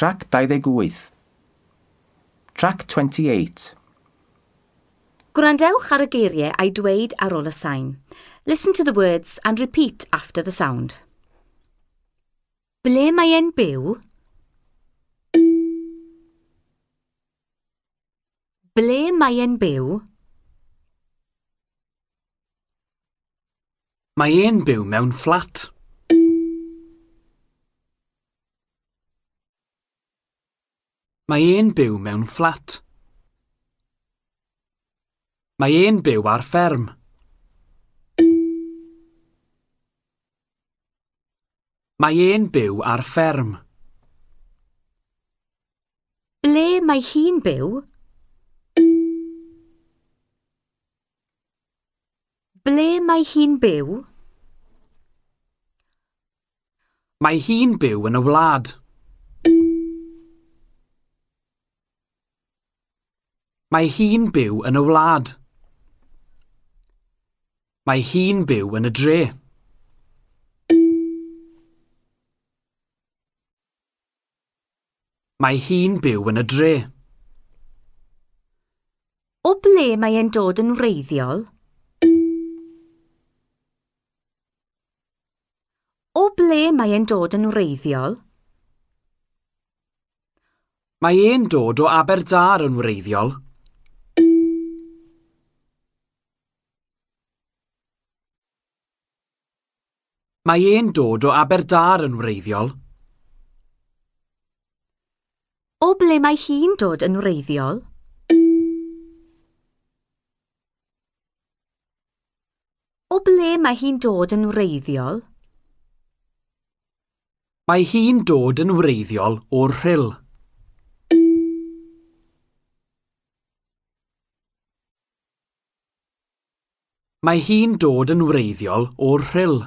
Trac 28. Trac 28. Gwrandewch ar y geiriau a'i dweud ar ôl y sain. Listen to the words and repeat after the sound. Ble mae e'n byw? Ble mae e'n byw? Mae e'n byw mewn fflat. Mae e'n byw mewn fflat. Mae e'n byw ar fferm. Mae e'n byw ar fferm. Ble mae hi'n byw? Ble mae hi'n byw? Mae hi'n byw yn y wlad. Mae hi'n byw yn y wlad. Mae hi'n byw yn y dre. Mae hi'n byw yn y dre. O ble mae e'n dod yn wreiddiol? O ble mae e'n dod yn wreiddiol? Mae e'n dod o Aberdâr yn wreiddiol. Mae e'n dod o Aberdâr yn wreiddiol. O ble mae hi'n dod yn wreiddiol? O ble mae hi'n dod yn wreiddiol? Mae hi'n dod yn wreiddiol o'r Rhyl. Mae hi'n dod yn wreiddiol o'r Rhyl.